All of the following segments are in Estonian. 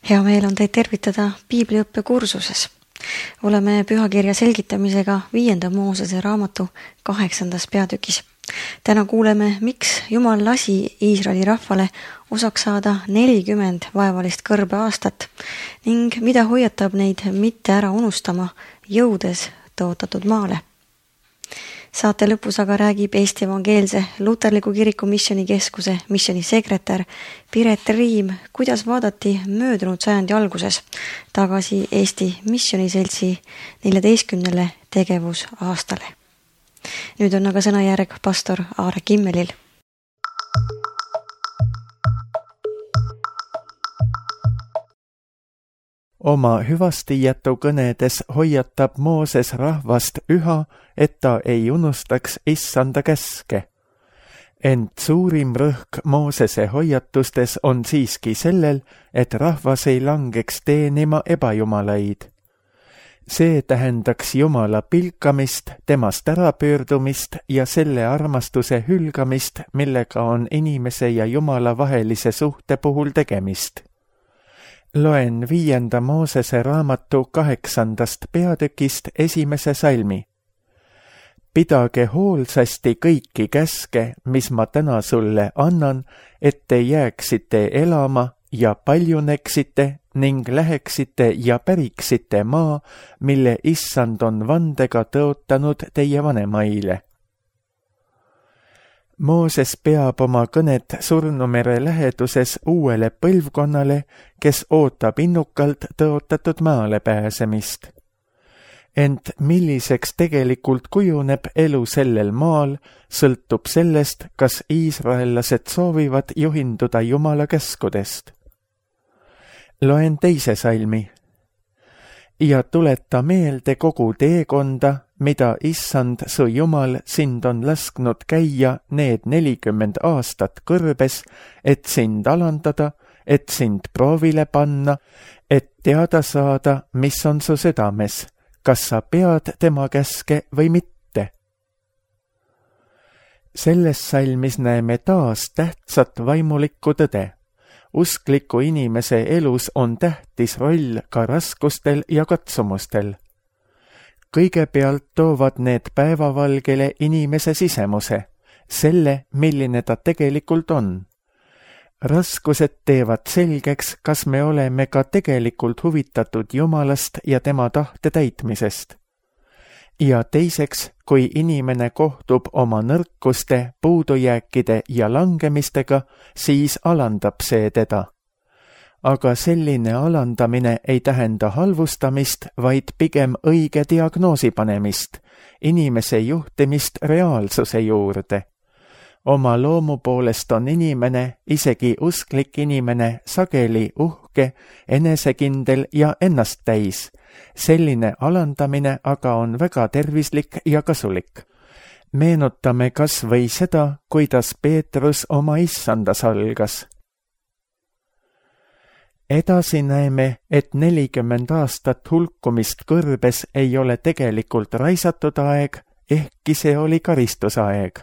Hea meel on teid tervitada Piibliõppe kursuses. Oleme pühakirja selgitamisega 5. Moosese raamatu 8. peatükis. Täna kuuleme, miks Jumal lasi Iisraeli rahvale osaks saada 40 vaevalist kõrbeaastat ning mida hoiatab neid mitte ära unustama, jõudes tõotatud maale. Saate lõpus aga räägib Eesti Evangeelse Luterliku Kiriku Missioonikeskuse missionisekretär Piret Riim, kuidas vaadati möödunud sajandi alguses tagasi Eesti Missioniseltsi 14. tegevusaastale. Nüüd on aga sõnajärg pastor Aare Kimmelil. Oma hüvastijätu kõnedes hoiatab Mooses rahvast üha, et ta ei unustaks issanda käske. Ent suurim rõhk Moosese hoiatustes on siiski sellel, et rahvas ei langeks teenima ebajumalaid. See tähendaks Jumala pilkamist, temast ärapöördumist ja selle armastuse hülgamist, millega on inimese ja Jumala vahelise suhte puhul tegemist. Loen 5. Moosese raamatu 8. peatükist 1. salmi. Pidage hoolsasti kõiki käske, mis ma täna sulle annan, et te jääksite elama ja paljuneksite ning läheksite ja päriksite maa, mille issand on vandega tõotanud teie vanemaile. Mooses peab oma kõnet Surnumere läheduses uuele põlvkonnale, kes ootab innukalt tõotatud maale pääsemist. Ent milliseks tegelikult kujuneb elu sellel maal, sõltub sellest, kas iisraellased soovivad juhinduda Jumala käskudest. Loen 2. salmi. Ja tuleta meelde kogu teekonda, mida issand su Jumal sind on lasknud käia need 40 aastat kõrbes, et sind alandada, et sind proovile panna, et teada saada, mis on su südames, kas sa pead tema käske või mitte. Selles salmis näeme taas tähtsat vaimulikku tõde. Uskliku inimese elus on tähtis roll ka raskustel ja katsumustel. Kõigepealt toovad need päevavalgele inimese sisemuse, selle, milline ta tegelikult on. Raskused teevad selgeks, kas me oleme ka tegelikult huvitatud Jumalast ja tema tahte täitmisest. Ja teiseks, kui inimene kohtub oma nõrkuste, puudujääkide ja langemistega, siis alandab see teda. Aga selline alandamine ei tähenda halvustamist, vaid pigem õige diagnoosi panemist, inimese juhtimist reaalsuse juurde. Oma loomu poolest on inimene, isegi usklik inimene, sageli uhke, enesekindel ja ennast täis. Selline alandamine aga on väga tervislik ja kasulik. Meenutame kas või seda, kuidas Peetrus oma issanda salgas. Edasi näeme, et 40 aastat hulkumist kõrbes ei ole tegelikult raisatud aeg, ehkki see oli karistusaeg.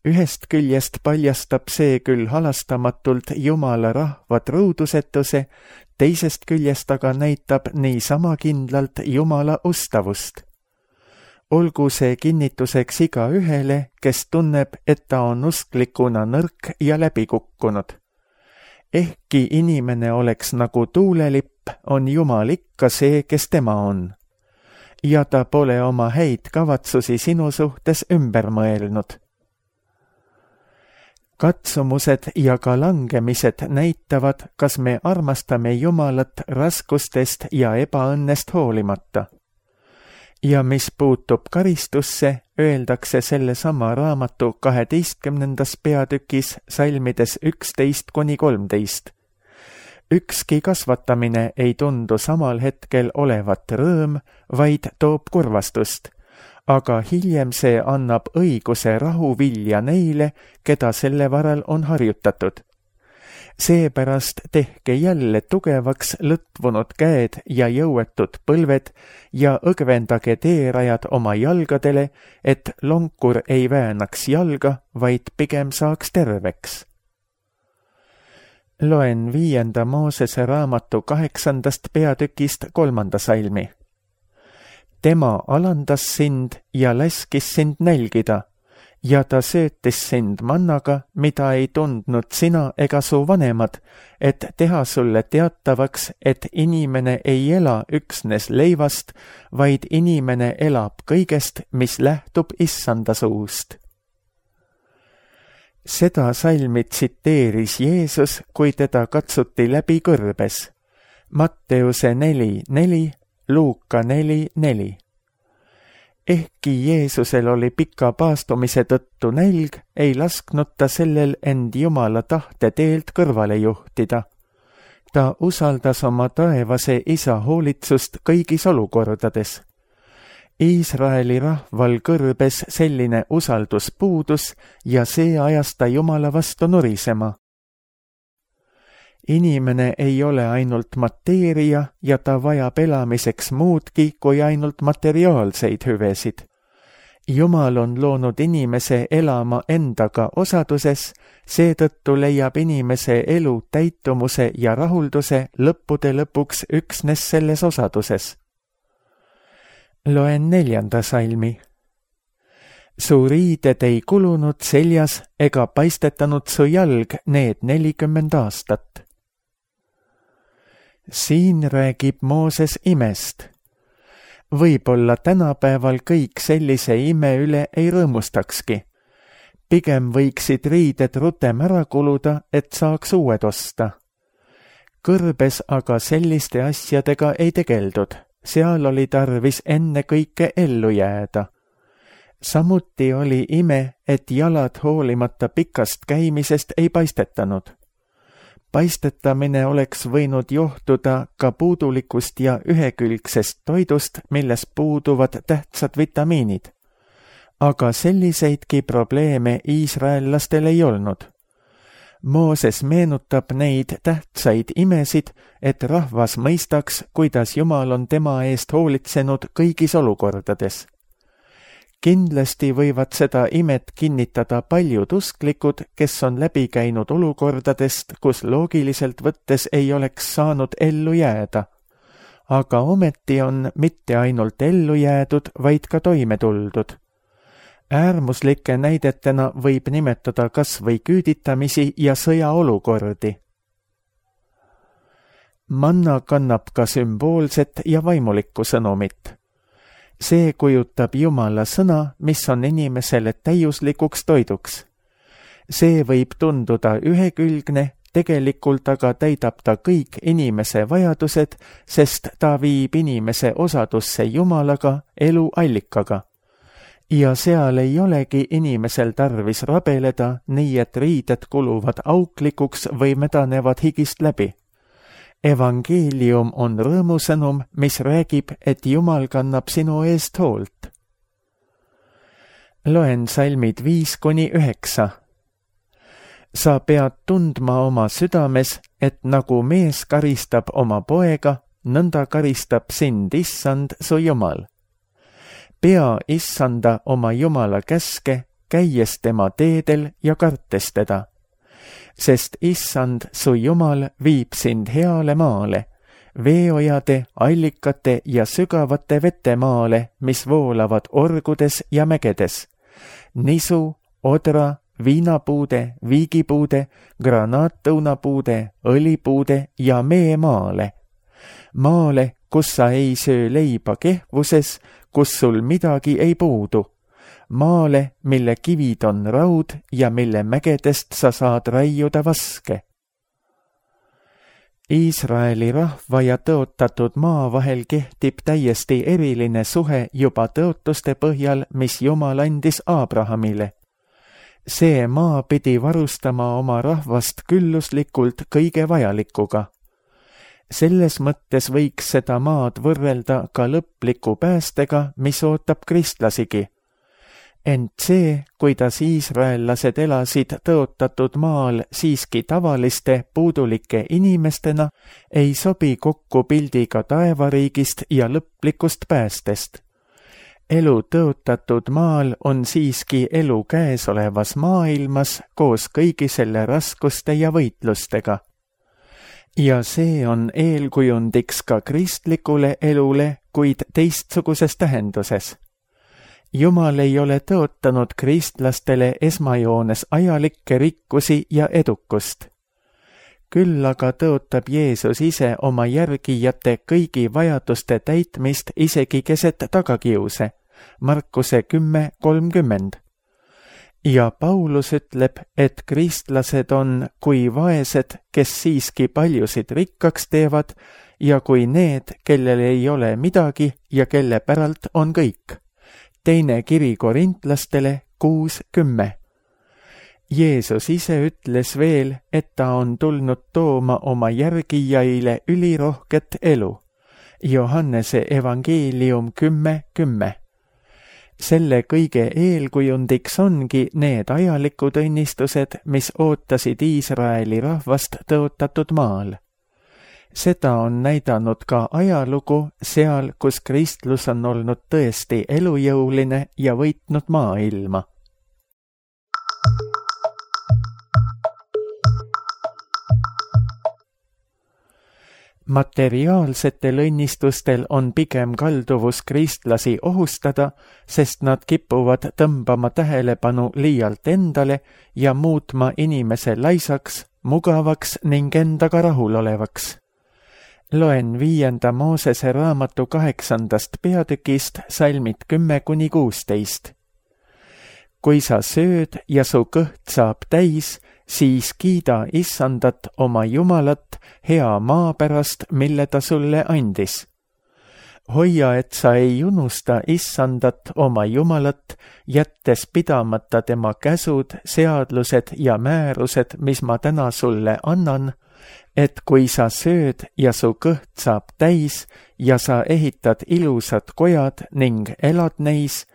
Ühest küljest paljastab see küll halastamatult Jumala rahva truudusetuse, teisest küljest aga näitab niisama kindlalt Jumala ustavust. Olgu see kinnituseks igaühele, kes tunneb, et ta on usklikuna nõrk ja läbikukkunud. Ehkki inimene oleks nagu tuulelipp, on Jumal ikka see, kes tema on. Ja ta pole oma häid kavatsusi sinu suhtes ümber mõelnud. Katsumused ja ka langemised näitavad, kas me armastame Jumalat raskustest ja ebaõnnest hoolimata. Ja mis puutub karistusse, öeldakse sellesama raamatu 12. peatükis salmides 11-13. Ükski kasvatamine ei tundu samal hetkel olevat rõõm, vaid toob kurvastust. Aga hiljem see annab õiguse rahuvilja neile, keda selle varal on harjutatud. Seepärast tehke jälle tugevaks lõtvunud käed ja jõuetud põlved ja õgvendage teerajad oma jalgadele, et lonkur ei väänaks jalga, vaid pigem saaks terveks. Loen 5. Moosese raamatu 8. peatükist 3. salmi. Tema alandas sind ja laskis sind nälgida ja ta söötis sind mannaga, mida ei tundnud sina ega su vanemad, et teha sulle teatavaks, et inimene ei ela üksnes leivast, vaid inimene elab kõigest, mis lähtub Issanda suust. Seda salmi tsiteeris Jeesus, kui teda katsuti läbi kõrbes. Matteuse 4:4, Luuka 4:4. Ehkki Jeesusel oli pika paastumise tõttu nälg, ei lasknud ta sellel end Jumala tahte teelt kõrvale juhtida. Ta usaldas oma taevase isa hoolitsust kõigis olukordades. Iisraeli rahval kõrbes selline usaldus puudus ja see ajas ta Jumala vastu nurisema. Inimene ei ole ainult mateeria ja ta vajab elamiseks muudki kui ainult materiaalseid hüvesid. Jumal on loonud inimese elama endaga osaduses, seetõttu leiab inimese elu täitumuse ja rahulduse lõppude lõpuks üksnes selles osaduses. Loen 4. salmi. Su riided ei kulunud seljas ega paistetanud su jalg need 40 aastat. Siin räägib Mooses imest. Võib-olla tänapäeval kõik sellise ime üle ei rõõmustakski. Pigem võiksid riided rutem ära kuluda, et saaks uued osta. Kõrbes aga selliste asjadega ei tegeldud. Seal oli tarvis enne kõike ellu jääda. Samuti oli ime, et jalad hoolimata pikast käimisest ei paistetanud. Paistetamine oleks võinud johtuda ka puudulikust ja ühekülgsest toidust, milles puuduvad tähtsad vitamiinid. Aga selliseidki probleeme iisraellastel ei olnud. Mooses meenutab neid tähtsaid imesid, et rahvas mõistaks, kuidas Jumal on tema eest hoolitsenud kõigis olukordades. Kindlasti võivad seda imet kinnitada paljud usklikud, kes on läbi käinud olukordadest, kus loogiliselt võttes ei oleks saanud ellu jääda. Aga ometi on mitte ainult ellu jäädud, vaid ka toime tuldud. Äärmuslike näidetena võib nimetada kas või küüditamisi ja sõjaolukordi. Manna kannab ka sümboolset ja vaimulikku sõnumit. See kujutab Jumala sõna, mis on inimesele täiuslikuks toiduks. See võib tunduda ühekülgne, tegelikult aga täidab ta kõik inimese vajadused, sest ta viib inimese osadusse Jumalaga, elu allikaga. Ja seal ei olegi inimesel tarvis rabeleda, nii et riided kuluvad auklikuks või medanevad higist läbi. Evangeelium on rõõmusõnum, mis räägib, et Jumal kannab sinu eest hoolt. Loen salmid 5-9. Sa pead tundma oma südames, et nagu mees karistab oma poega, nõnda karistab sind Issand su Jumal. Pea Issanda oma Jumala käske, käies tema teedel ja kartes teda. Sest Issand su Jumal viib sind heale maale, veeojade, allikate ja sügavate vetemaale, mis voolavad orgudes ja mägedes. Nisu, odra, viinapuude, viigipuude, granaattõunapuude, õlipuude ja meemaale. Maale, kus sa ei söö leiba kehvuses, kus sul midagi ei puudu. Maale, mille kivid on raud ja mille mägedest sa saad raiuda vaske. Iisraeli rahva ja tõotatud maa vahel kehtib täiesti eriline suhe juba tõotuste põhjal, mis Jumal andis Abrahamile. See maa pidi varustama oma rahvast külluslikult kõige vajalikuga. Selles mõttes võiks seda maad võrrelda ka lõpliku päästega, mis ootab kristlasigi. Ent see, kuidas iisraellased elasid tõotatud maal siiski tavaliste puudulike inimestena, ei sobi kokku pildiga taevariigist ja lõplikust päästest. Elu tõotatud maal on siiski elu käesolevas maailmas koos kõigi selle raskuste ja võitlustega. ja see on eelkujundiks ka kristlikule elule, kuid teistsuguses tähenduses. Jumal ei ole tõotanud kristlastele esmajoones ajalikke rikkusi ja edukust. Küll aga tõotab Jeesus ise oma järgijate kõigi vajaduste täitmist isegi keset tagakiuse, Markuse 10:30. Ja Paulus ütleb, et kristlased on kui vaesed, kes siiski paljusid rikkaks teevad, ja kui need, kellel ei ole midagi ja kelle päralt on kõik. Teine kiri Korintlastele 6:10. Jeesus ise ütles veel, et ta on tulnud tooma oma järgijaile ülirohket elu. Johannese evangeelium 10:10. Selle kõige eelkujundiks ongi need ajalikud õnnistused, mis ootasid Iisraeli rahvast tõotatud maal. Seda on näidanud ka ajalugu seal, kus kristlus on olnud tõesti elujõuline ja võitnud maailma. Materiaalsetel õnnistustel on pigem kalduvus kristlasi ohustada, sest nad kipuvad tõmbama tähelepanu liialt endale ja muutma inimese laisaks, mugavaks ning endaga rahulolevaks. Loen 5. Moosese raamatu 8. peatükist salmid 10-16. Kui sa sööd ja su kõht saab täis, siis kiida Issandat oma Jumalat hea maa pärast, mille ta sulle andis. Hoia, et sa ei unusta Issandat oma Jumalat, jättes pidamata tema käsud, seadlused ja määrused, mis ma täna sulle annan, et kui sa sööd ja su kõht saab täis ja sa ehitad ilusad kojad ning elad neis,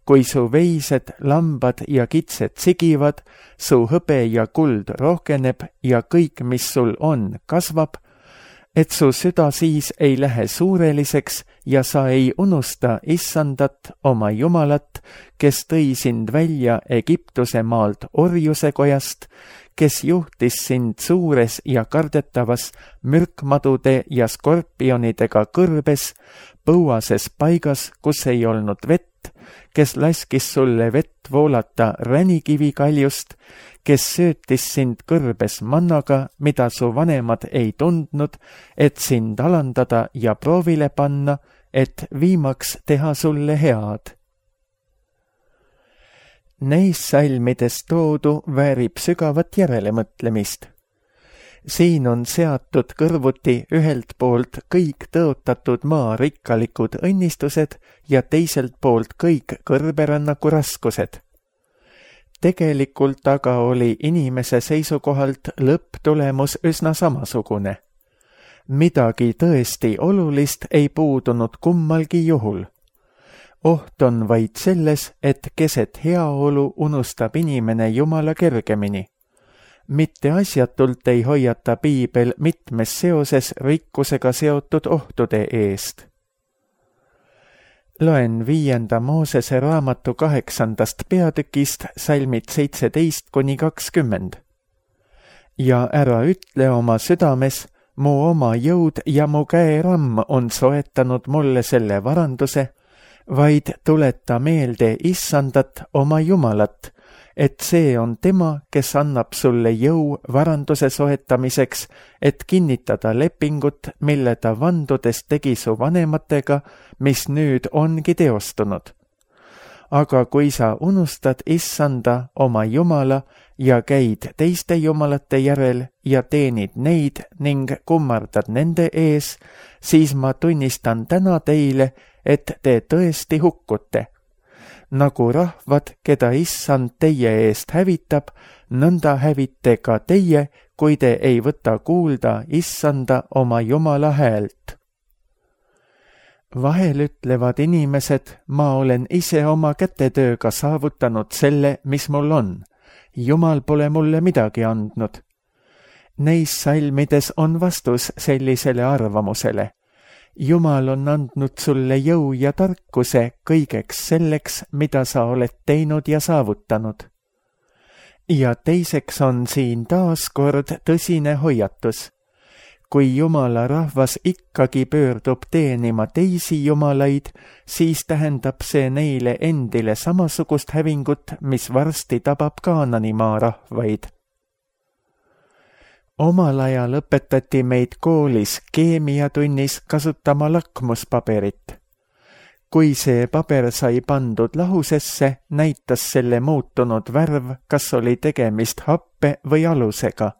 kui su veised, lambad ja kitsed sigivad, su hõbe ja kuld rohkeneb ja kõik, mis sul on, kasvab, et su süda siis ei lähe suureliseks ja sa ei unusta Issandat oma Jumalat, kes tõi sind välja Egiptuse maalt orjuse kojast, kes juhtis sind suures ja kardetavas mürkmadude ja skorpionidega kõrbes, põuases paigas, kus ei olnud vett, kes laskis sulle vett voolata ränikivikaljust, kes söötis sind kõrbes mannaga, mida su vanemad ei tundnud, et sind alandada ja proovile panna, et viimaks teha sulle head. Neis salmides toodu väärib sügavat järelemõtlemist. Siin on seatud kõrvuti ühelt poolt kõik tõotatud maa rikkalikud õnnistused ja teiselt poolt kõik kõrberännaku raskused. Tegelikult aga oli inimese seisukohalt lõpptulemus üsna samasugune. Midagi tõesti olulist ei puudunud kummalgi juhul. Oht on vaid selles, et keset heaolu unustab inimene Jumala kergemini. Mitte asjatult ei hoiata piibel mitmes seoses rikkusega seotud ohtude eest. Loen 5. Moosese raamatu 8. peatükist salmid 17-20. Ja ära ütle oma südames, mu oma jõud ja mu käeramm on soetanud mulle selle varanduse, vaid tuleta meelde Issandat oma Jumalat, et see on tema, kes annab sulle jõu varanduse soetamiseks, et kinnitada lepingut, mille ta vandudes tegi su vanematega, mis nüüd ongi teostunud. Aga kui sa unustad Issanda oma Jumala ja käid teiste jumalate järel ja teenid neid ning kummardad nende ees, siis ma tunnistan täna teile, et te tõesti hukkute. Nagu rahvad, keda Issand teie eest hävitab, nõnda hävite ka teie, kui te ei võta kuulda Issanda oma Jumala häält. Vahel ütlevad inimesed, ma olen ise oma kätetööga saavutanud selle, mis mul on. Jumal pole mulle midagi andnud. Neis salmides on vastus sellisele arvamusele. Jumal on andnud sulle jõu ja tarkuse kõigeks selleks, mida sa oled teinud ja saavutanud. Ja teiseks on siin taas kord tõsine hoiatus. kui jumala rahvas ikkagi pöördub teenima teisi jumalaid, siis tähendab see neile endile samasugust hävingut, mis varsti tabab Kaananimaa rahvaid. Omal ajal õpetati meid koolis keemiatunnis kasutama lakmuspaberit. Kui see paber sai pandud lahusesse, näitas selle muutunud värv, kas oli tegemist happe või alusega.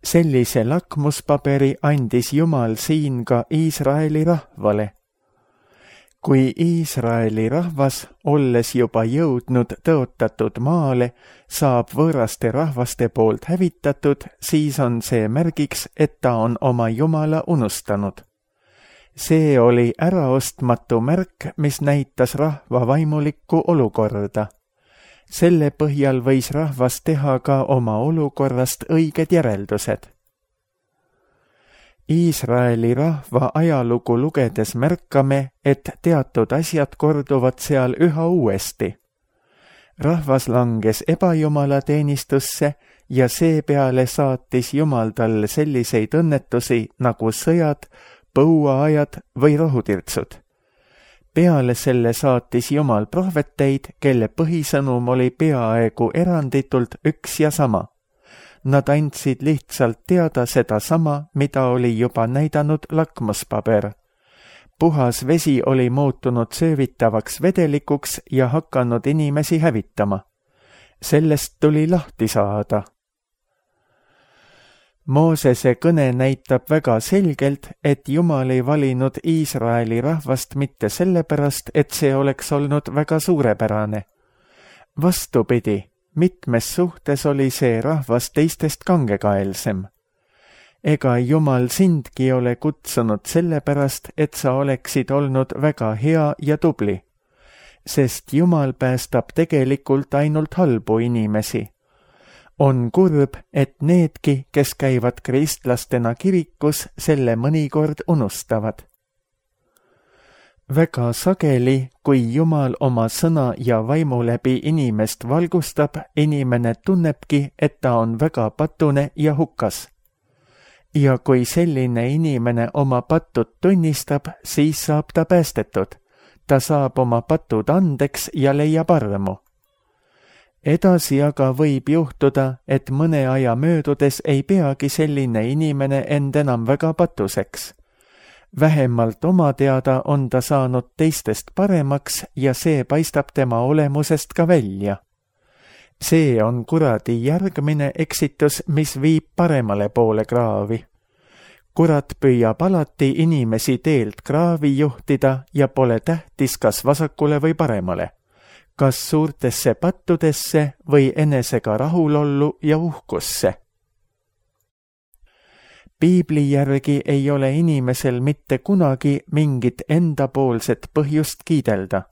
Sellise lakmuspaberi andis Jumal siin ka Iisraeli rahvale. Kui Iisraeli rahvas, olles juba jõudnud tõotatud maale, saab võõraste rahvaste poolt hävitatud, siis on see märgiks, et ta on oma Jumala unustanud. See oli äraostmatu märk, mis näitas rahva vaimulikku olukorda. Selle põhjal võis rahvas teha ka oma olukorrast õiged järeldused. Iisraeli rahva ajalugu lugedes märkame, et teatud asjad korduvad seal üha uuesti. Rahvas langes ebajumala teenistusse ja seepeale saatis Jumal talle selliseid õnnetusi nagu sõjad, põuaajad või rohutirtsud. Peale selle saatis Jumal prohveteid, kelle põhisõnum oli peaaegu eranditult üks ja sama. Nad andsid lihtsalt teada seda sama, mida oli juba näidanud lakmuspaber. Puhas vesi oli muutunud söövitavaks vedelikuks ja hakanud inimesi hävitama. Sellest tuli lahti saada. Moosese kõne näitab väga selgelt, et Jumal ei valinud Iisraeli rahvast mitte sellepärast, et see oleks olnud väga suurepärane. Vastupidi, mitmes suhtes oli see rahvas teistest kangekaelsem. Ega Jumal sindki ole kutsunud sellepärast, et sa oleksid olnud väga hea ja tubli, sest Jumal päästab tegelikult ainult halbu inimesi. On kurb, et needki, kes käivad kristlastena kirikus, selle mõnikord unustavad. Väga sageli, kui Jumal oma sõna ja vaimu läbi inimest valgustab, inimene tunnebki, et ta on väga patune ja hukas. Ja kui selline inimene oma patud tunnistab, siis saab ta päästetud. Ta saab oma patud andeks ja leiab armu. Edasi aga võib juhtuda, et mõne aja möödudes ei peagi selline inimene end enam väga patuseks. Vähemalt oma teada on ta saanud teistest paremaks ja see paistab tema olemusest ka välja. See on kuradi järgmine eksitus, mis viib paremale poole kraavi. Kurat püüab alati inimesi teelt kraavi juhtida ja pole tähtis, kas vasakule või paremale. Kas suurtesse pattudesse või enesega rahulollu ja uhkusse. Piibli järgi ei ole inimesel mitte kunagi mingit endapoolset põhjust kiidelda.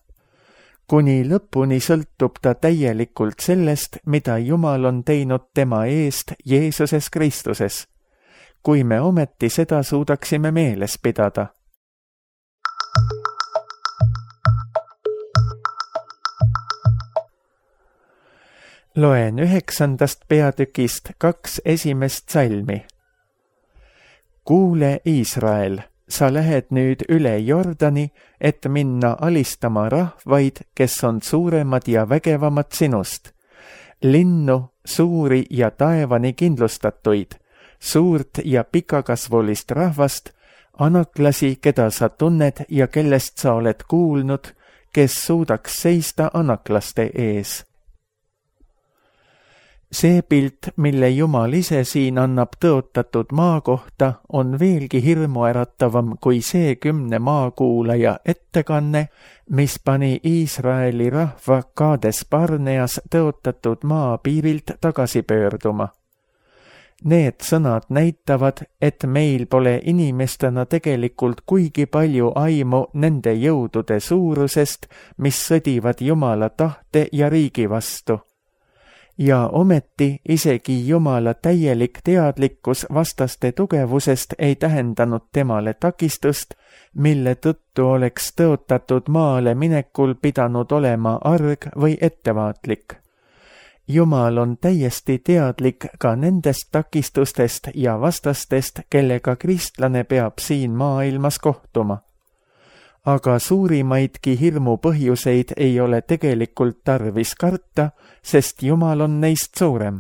Kuni lõpuni sõltub ta täielikult sellest, mida Jumal on teinud tema eest Jeesuses Kristuses. Kui me ometi seda suudaksime meeles pidada. Loen 9. peatükist 2 esimest salmi. Kuule, Iisrael, sa lähed nüüd üle Jordani, et minna alistama rahvaid, kes on suuremad ja vägevamad sinust. Linnu, suuri ja taevani kindlustatuid, suurt ja pikakasvulist rahvast, anaklasi, keda sa tunned ja kellest sa oled kuulnud, kes suudaks seista anaklaste ees. See pilt, mille Jumal ise siin annab tõotatud maa kohta, on veelgi hirmuäratavam kui see 10 maakuulaja ettekanne, mis pani Iisraeli rahva Kaades Barneas tõotatud maa piirilt tagasi pöörduma. Need sõnad näitavad, et meil pole inimestena tegelikult kuigi palju aimu nende jõudude suurusest, mis sõdivad Jumala tahte ja riigi vastu. Ja ometi isegi Jumala täielik teadlikkus vastaste tugevusest ei tähendanud temale takistust, mille tõttu oleks tõotatud maale minekul pidanud olema arg või ettevaatlik. Jumal on täiesti teadlik ka nendest takistustest ja vastastest, kellega kristlane peab siin maailmas kohtuma. Aga suurimaidki hirmu põhjuseid ei ole tegelikult tarvis karta, sest Jumal on neist suurem.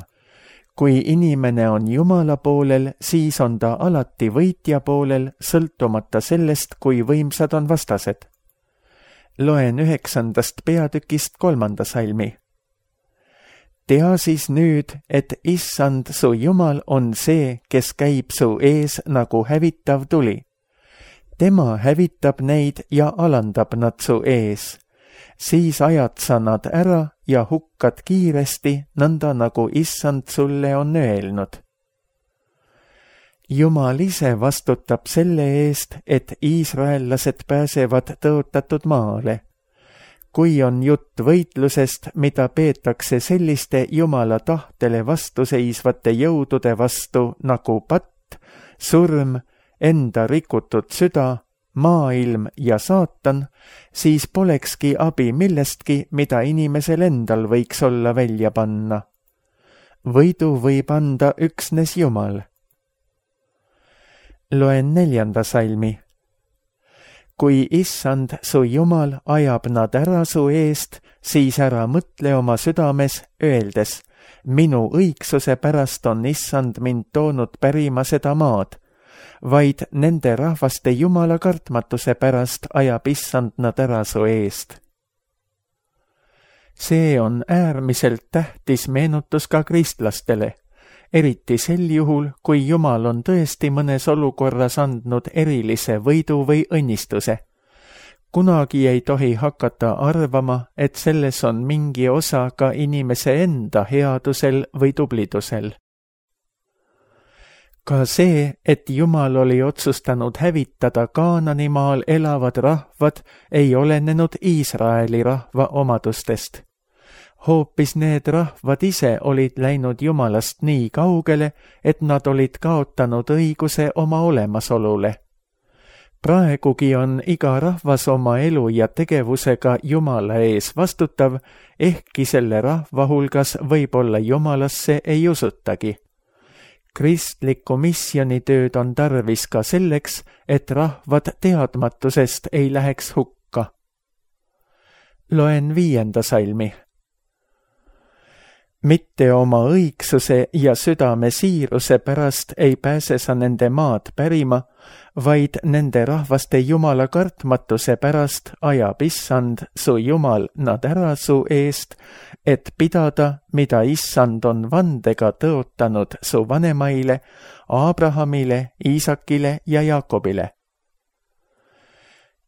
Kui inimene on Jumala poolel, siis on ta alati võitja poolel, sõltumata sellest, kui võimsad on vastased. Loen 9. peatükist 3. salmi. Tea siis nüüd, et Issand su Jumal on see, kes käib su ees nagu hävitav tuli. Tema hävitab neid ja alandab nad su ees. Siis ajad sa nad ära ja hukkad kiiresti, nõnda nagu Issand sulle on öelnud. Jumal ise vastutab selle eest, et iisraellased pääsevad tõotatud maale. Kui on jutt võitlusest, mida peetakse selliste Jumala tahtele vastuseisvate jõudude vastu nagu patt, surm, enda rikutud süda, maailm ja saatan, siis polekski abi millestki, mida inimesel endal võiks olla välja panna. Võidu võib anda üksnes Jumal. Loen 4. salmi. Kui Issand su Jumal ajab nad ära su eest, siis ära mõtle oma südames, öeldes, minu õigsuse pärast on Issand mind toonud pärima seda maad, vaid nende rahvaste Jumala kartmatuse pärast ajab Issand nad ära su eest. See on äärmiselt tähtis meenutus ka kristlastele, eriti sel juhul, kui Jumal on tõesti mõnes olukorras andnud erilise võidu või õnnistuse. Kunagi ei tohi hakata arvama, et selles on mingi osa ka inimese enda headusel või tublidusel. Ka see, et Jumal oli otsustanud hävitada Kaananimaal elavad rahvad, ei olenenud Iisraeli rahva omadustest. Hoopis need rahvad ise olid läinud Jumalast nii kaugele, et nad olid kaotanud õiguse oma olemasolule. Praegugi on iga rahvas oma elu ja tegevusega Jumala ees vastutav, ehkki selle rahva hulgas võib-olla Jumalasse ei usutagi. Kristlikku missionitööd on tarvis ka selleks, et rahvad teadmatusest ei läheks hukka. Loen 5. salmi. Mitte oma õigsuse ja südame siiruse pärast ei pääse sa nende maad pärima, vaid nende rahvaste Jumala kartmatuse pärast ajab Issand su Jumal nad ära su eest, et pidada, mida Issand on vandega tõotanud su vanemaile, Abrahamile, Iisakile ja Jaakobile.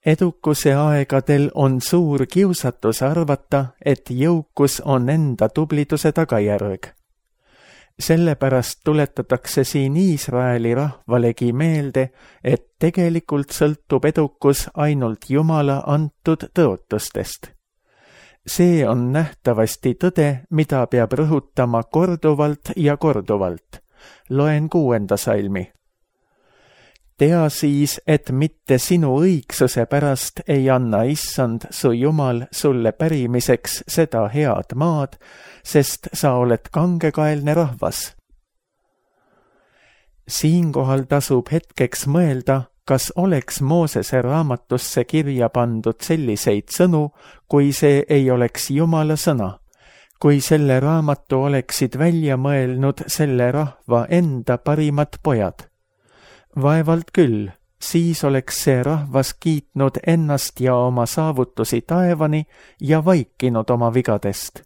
Edukuse aegadel on suur kiusatus arvata, et jõukus on enda tubliduse tagajärg. Sellepärast tuletatakse siin Iisraeli rahvalegi meelde, et tegelikult sõltub edukus ainult Jumala antud tõotustest. See on nähtavasti tõde, mida peab rõhutama korduvalt ja korduvalt. Loen 6. salmi. Tea siis, et mitte sinu õigsuse pärast ei anna Issand su Jumal sulle pärimiseks seda head maad, sest sa oled kangekaelne rahvas. Siinkohal tasub hetkeks mõelda, kas oleks Moosese raamatusse kirja pandud selliseid sõnu, kui see ei oleks Jumala sõna, kui selle raamatu oleksid välja mõelnud selle rahva enda parimad pojad. Vaevalt küll, siis oleks see rahvas kiitnud ennast ja oma saavutusi taevani ja vaikinud oma vigadest.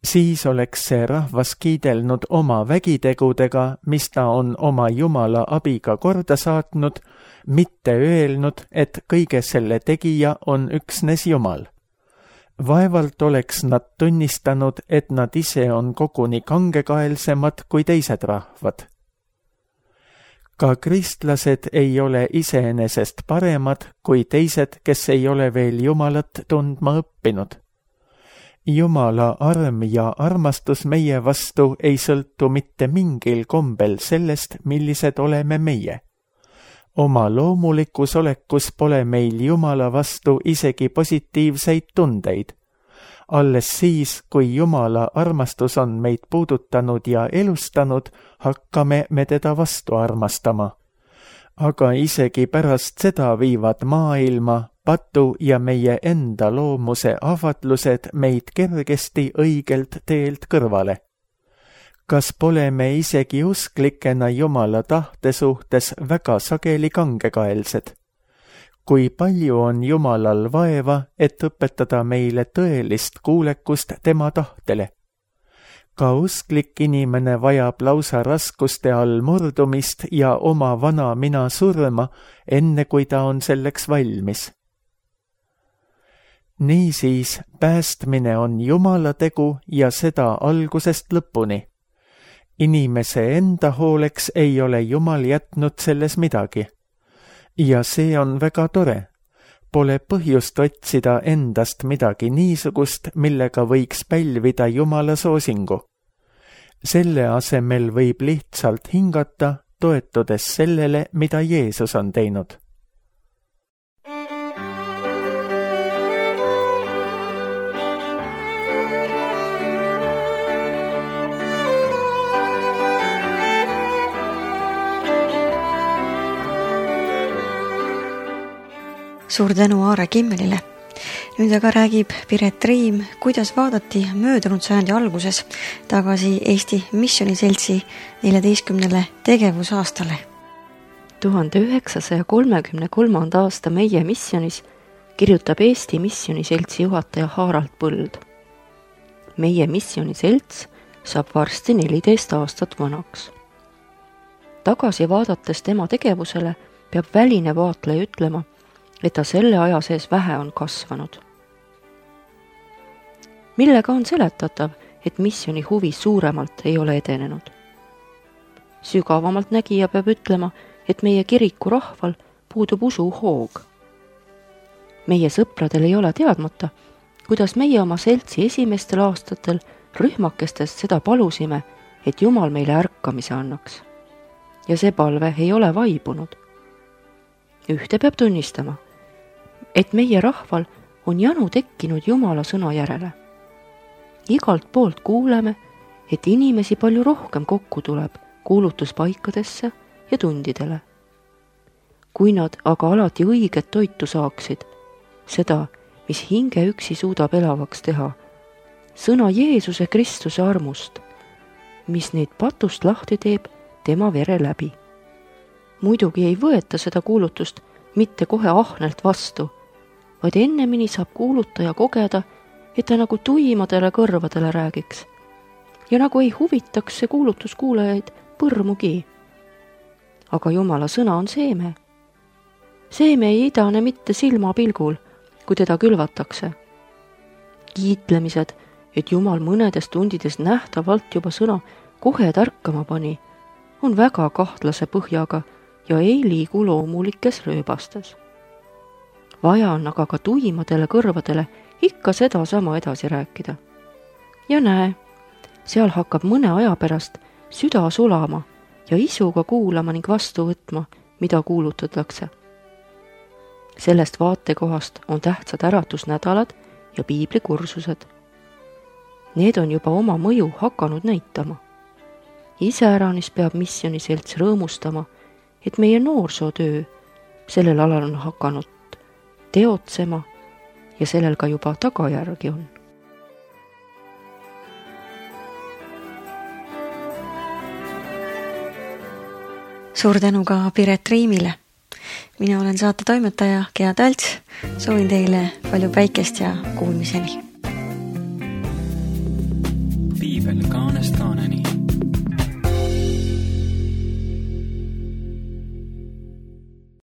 Siis oleks see rahvas kiidelnud oma vägitegudega, mis ta on oma Jumala abiga korda saatnud, mitte öelnud, et kõige selle tegija on üksnes Jumal. Vaevalt oleks nad tunnistanud, et nad ise on koguni kangekaelsemad kui teised rahvad. Ka kristlased ei ole iseenesest paremad kui teised, kes ei ole veel Jumalat tundma õppinud. Jumala arm ja armastus meie vastu ei sõltu mitte mingil kombel sellest, millised oleme meie. Oma loomulikus olekus pole meil Jumala vastu isegi positiivseid tundeid, Alles siis, kui Jumala armastus on meid puudutanud ja elustanud, hakkame me teda vastu armastama. Aga isegi pärast seda viivad maailma, patu ja meie enda loomuse ahvatlused meid kergesti õigelt teelt kõrvale. Kas pole me isegi usklikena Jumala tahte suhtes väga sageli kangekaelsed? Kui palju on Jumalal vaeva, et õpetada meile tõelist kuulekust tema tahtele? Ka usklik inimene vajab lausa raskuste all murdumist ja oma vana mina surma, enne kui ta on selleks valmis. Niisiis, päästmine on Jumala tegu ja seda algusest lõpuni. Inimese enda hooleks ei ole Jumal jätnud selles midagi. Ja see on väga tore. Pole põhjust otsida endast midagi niisugust, millega võiks pälvida Jumala soosingu. Selle asemel võib lihtsalt hingata, toetudes sellele, mida Jeesus on teinud. Suur tänu Aare Kimmelile. Nüüd aga räägib Piret Riim, kuidas vaadati möödunud sajandi alguses tagasi Eesti Missioniseltsi 14. tegevusaastale. 1933. aasta Meie missionis kirjutab Eesti Missioniseltsi juhataja Harald Põld. Meie Missioniselts saab varsti 14 aastat vanaks. Tagasi vaadates tema tegevusele peab väline vaatleja ütlema, et ta selle aja sees vähe on kasvanud. Millega on seletatav, et missioni huvi suuremalt ei ole edenenud? Sügavamalt nägija peab ütlema, et meie kiriku rahval puudub usuhoog. Meie sõpradel ei ole teadmata, kuidas meie oma seltsi esimestel aastatel rühmakestest seda palusime, et Jumal meile ärkamise annaks. Ja see palve ei ole vaibunud. Ühte peab tunnistama, et meie rahval on janu tekkinud Jumala sõna järele. Igalt poolt kuuleme, et inimesi palju rohkem kokku tuleb kuulutuspaikadesse ja tundidele. Kui nad aga alati õiget toitu saaksid, seda, mis hinge üksi suudab elavaks teha, sõna Jeesuse Kristuse armust, mis neid patust lahti teeb tema vere läbi. Muidugi ei võeta seda kuulutust mitte kohe ahnelt vastu, vaid ennemini saab kuulutaja kogeda, et ta nagu tuimadele kõrvadele räägiks ja nagu ei huvitaks see kuulutus kuulajaid põrmugi. Aga Jumala sõna on seeme. Seeme ei idane mitte silmapilgul, kui teda külvatakse. Kiitlemised, et Jumal mõnedes tundides nähtavalt juba sõna kohe tärkama pani, on väga kahtlase põhjaga ja ei liigu loomulikes rööbastes. Vaja on aga ka tuimadele kõrvadele ikka seda sama edasi rääkida. Ja näe, seal hakkab mõne aja pärast süda sulama ja isuga kuulama ning vastu võtma, mida kuulutatakse. Sellest vaatekohast on tähtsad äratusnädalad ja piiblikursused. Need on juba oma mõju hakanud näitama. Iseäranis peab missioniselts rõõmustama, et meie noorsootöö sellel alal on hakanud teotsema ja sellel ka juba tagajärgi on. Suur tänu ka Piret Riimile. Mina olen saate toimetaja Gea Talts. Soovin teile palju päikest ja kuulmiseni. Piibel kaanest kaaneni.